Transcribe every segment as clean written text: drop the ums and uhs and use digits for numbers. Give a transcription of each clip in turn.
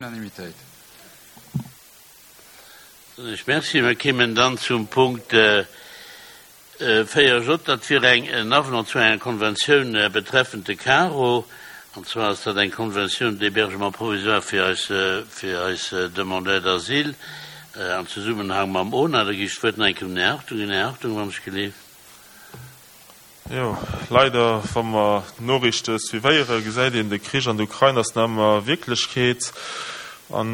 Unanimitéit. Soen ech Merci. Mir kéimen dann zum Punkt 4 J. Dat wier eng en Avenant zu enger Konventioun betreffend de Caro. An zwar ass dat eng Convention d'hébergement provisoire fir eis, fir eis Demandeurs d'asile am Zesummenhang mam ONA. Da gi ech d'Wuert nach eng Kéier un den Här Hartung. Här Hartung, wann ech geleeft. Jo, leider, wa mer d'Noriichte suivéieren, gesäit een, de Krich an der Ukrain ass nach ëmmer Wierklechkeet an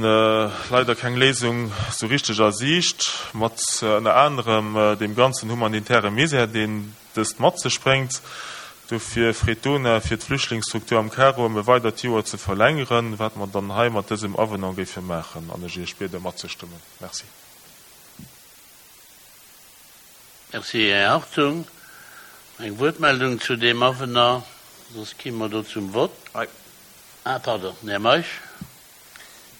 leider keng Léisung sou richteg a Siicht, mat ënner anerem deem ganzen humanitäre Misär, deen dëst mat sech bréngt. Dofir freet d'UNA, fir d'Flüchtlingsstruktur am Caro ëm e weidert Joer ze verlängeren, wat mer dann hei mat dësem Avenant géife maachen an ech Iech biede matzestëmmen. Merci. Merci, Här Hartung. Eng Wuertmeldung zu deem Avenant, soss gi mer do zum Vott. Ah, pardon, den Här Meisch.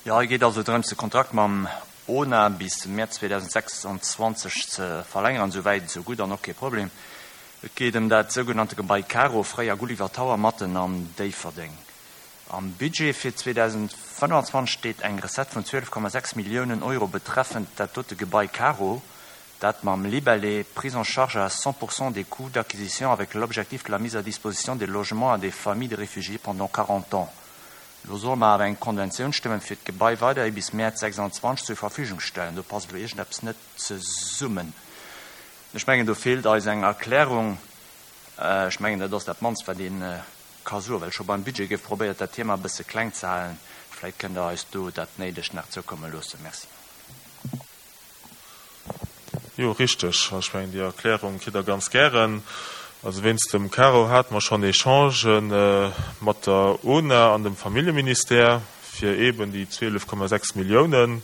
Jo, hei geet also drëms, de Kontrakt mam ona bis Mäerz 2026 ze verlängeren. Esou wäit, esou gutt an och kee Problem. Et geet ëm dat sougenannte Gebai Caro, fréier Gulliver Tower, matten an Déifferdeng. Am Budget fir 2025 steet eng Recette vun 12,6 Milliounen Euro betreffend dat dote Gebai Caro, dat mam Libellé Prise en charge à 100 pour cent des coûts d'acquisition avec l'objectif de la mise à disposition des logements à des familles de réfugiés pendant 40 ans. Elo solle mer awer eng Konventioun stëmmen, fir d'Gebai weiderhi bis Mäerz 26 zur Verfügung stellen. Do passt elo iergendeppes net zesummen. Ech mengen, do feelt eis eng Erklärung. Ech mengen, dat ass dat mannst, wat ee ka soen, well scho beim Budget gouf probéiert, dat Thema e bësse kleng ze halen. Vläicht kënnt Der eis do dat Néidegt nach zoukomme loossen. Merci. Jo, richteg. Ech mengen, déi Erklärung kritt Der ganz gären. Also wéinst dem Caro hate mer schonn Echangen mat der UNA an dem Familljeministère fir eeben déi 12,6 Milliounen.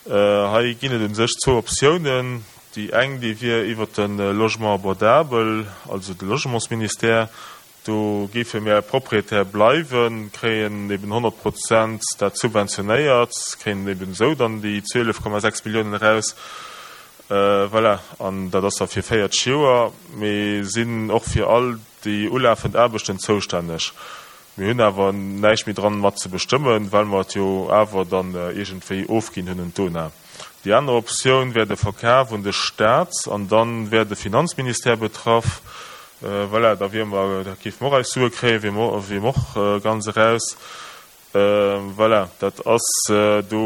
Hei ginn et u sech zwou Optiounen. Déi eng, déi wier iwwert de Logement abordable, also de Logementsministère. Do géife mir Propriétaire bleiwen, kréien eben 100 Prozent dat subventionéiert, kréien eben esou dann déi 12,6 Milliounen eraus. Voilà, an dat ass da fir 40 Joer. Mir sinn och fir all déi ulafend Aarbechten zoustänneg. Mir hunn awer näischt méi dran mat ze bestëmmen, well mer et jo awer dann iergendwéi ofginn hunn un d'UNA. Déi aner Optioun wär de Verkaf un de Staat an dann wär de Finanzministère betraff. Voilà, da wier mer, da géife mer och eis Sue kréien, wier mer, wier mer och ganz eraus. Voilà, dat ass, do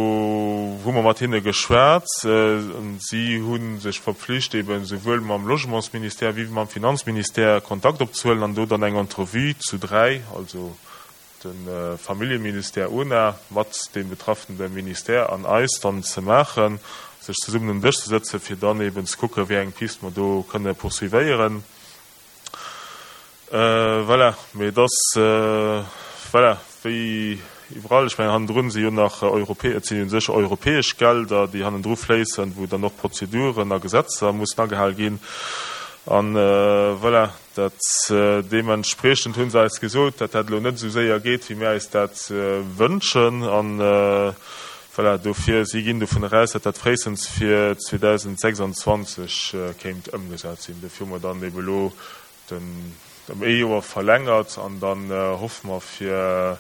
hu mer mat hinne geschwat. Si hu sech verpflicht, eben esouwuel mam Logementsministère wéi mam Finanzministère Kontakt opzehuelen an do dann eng Entrevue zu dräi, also de Familljeministère, UNA, mat deem betraffene Ministère an eis dann ze maachen, sech zesummen un den Dësch ze sëtzen, fir dann eben ze kucken, wéi eng Piste mer do kënne poursuivéieren. Voilà, mee et ass, voilà, wéi iwwerall, ech mengen, hannendrun si jo nach europä-, et sinn u sech europäesch Gelder, déi hannendru fléissen, wou dann och Prozeduren a Gesetzer mussen agehal ginn. An, voilà, dat deementspriechend hu se eis gesot, datt dat elo net esou séier geet, wéi mir eis dat wënschen. An, voilà, dofir, si ginn dovun eraus, datt dat fréistens fir 2026 kéint ëmgesat sinn. Dofir hu mer dann ebe elo den ëm ee Joer verlängert an dann hoffe mer fir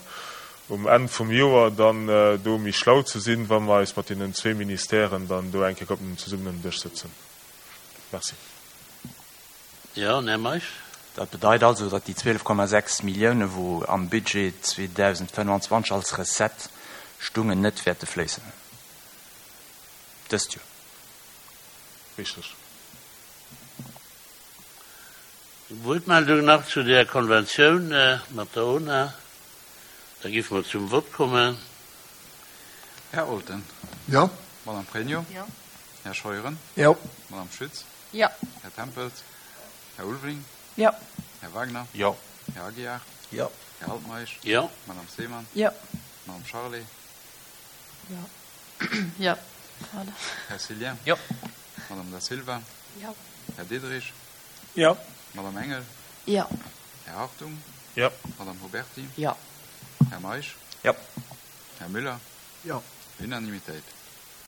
um Enn vum Joer dann do méi schlau ze sinn, wa mer eis mat deenen zwee Ministèren dann do eng Kéier op zesummen um Dësch sëtzen. Merci. Jo, Här Meisch. Dat bedeit also, datt déi 12,6 Milliounen, wou am Budget 2025 als Recette stungen, net wäerte fléissen dëst Joer. Richteg. Wuertmeldung nach zu där Konventioun mat der UNA? Da géife mer zum Vott kommen. Här Olten. Jo. Madame Pregno. Jo. Här Scheuren. Jo. Madame Schütz. Jo. Här Tempels. Här Ulveling. Jo. Här Wagner. Jo. Här Aguiar. Jo. Här Altmeisch. Jo. Madame Seemann. Jo. Madame Charlé. Jo. Jo. Pardon. Här Cillien. Jo. Madame Da Silva. Jo. Här Diderich. Jo. Madame Engel. Jo. Här Hartung. Jo. Madame Huberty. Jo. Här Meisch. Jo. Här Müller. Jo. Unanimitéit.